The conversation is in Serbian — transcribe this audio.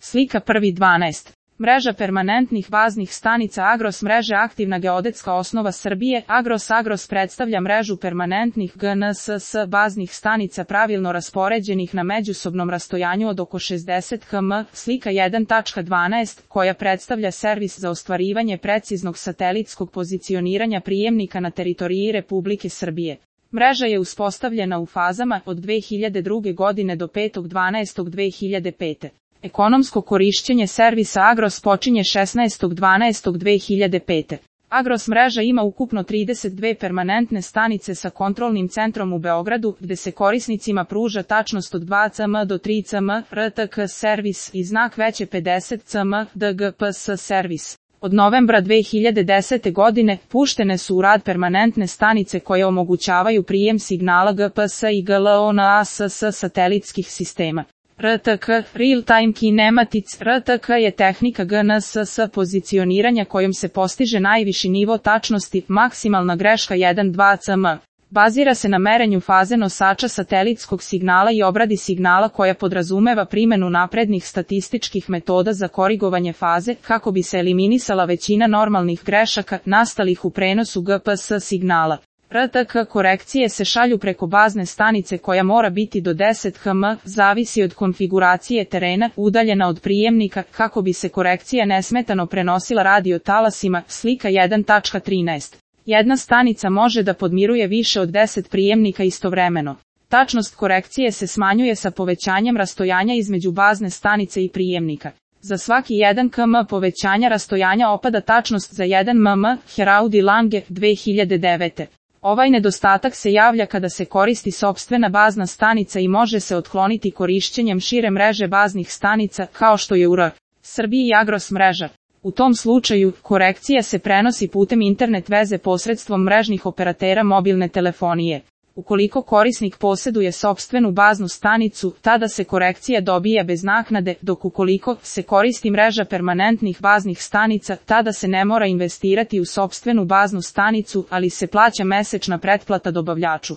Slika 1.12. Mreža permanentnih baznih stanica Agros mreže aktivna geodetska osnova Srbije. Agros predstavlja mrežu permanentnih GNSS baznih stanica pravilno raspoređenih na međusobnom rastojanju od oko 60 km. Slika 1.12, koja predstavlja servis za ostvarivanje preciznog satelitskog pozicioniranja prijemnika na teritoriji Republike Srbije. Mreža je uspostavljena u fazama od 2002. godine do 5.12.2005. Ekonomsko korišćenje servisa Agros počinje 16.12.2005. Agros mreža ima ukupno 32 permanentne stanice sa kontrolnim centrom u Beogradu, gde se korisnicima pruža tačnost od 2 cm do 3 cm, RTK servis i znak veće 50 cm, DGPS servis. Od novembra 2010. godine puštene su u rad permanentne stanice koje omogućavaju prijem signala GPS i GLONASS satelitskih sistema. RTK, Real Time Kinematics. RTK je tehnika GNSS pozicioniranja kojom se postiže najviši nivo tačnosti, maksimalna greška 1,2 cm. Bazira se na merenju faze nosača satelitskog signala i obradi signala koja podrazumeva primjenu naprednih statističkih metoda za korigovanje faze, kako bi se eliminisala većina normalnih grešaka nastalih u prenosu GPS signala. RTK korekcije se šalju preko bazne stanice koja mora biti do 10 km, zavisi od konfiguracije terena, udaljena od prijemnika, kako bi se korekcija nesmetano prenosila radiotalasima. Slika 1.13. Jedna stanica može da podmiruje više od 10 prijemnika istovremeno. Tačnost korekcije se smanjuje sa povećanjem rastojanja između bazne stanice i prijemnika. Za svaki 1 km povećanja rastojanja opada tačnost za 1 mm. Heraudi Lange, 2009. Ovaj nedostatak se javlja kada se koristi sopstvena bazna stanica i može se otkloniti korišćenjem šire mreže baznih stanica, kao što je u Srbiji Agros mreža. U tom slučaju, korekcija se prenosi putem internet veze posredstvom mrežnih operatera mobilne telefonije. Ukoliko korisnik posjeduje sopstvenu baznu stanicu, tada se korekcija dobija bez naknade, dok ukoliko se koristi mreža permanentnih baznih stanica, tada se ne mora investirati u sopstvenu baznu stanicu, ali se plaća mesečna pretplata dobavljaču.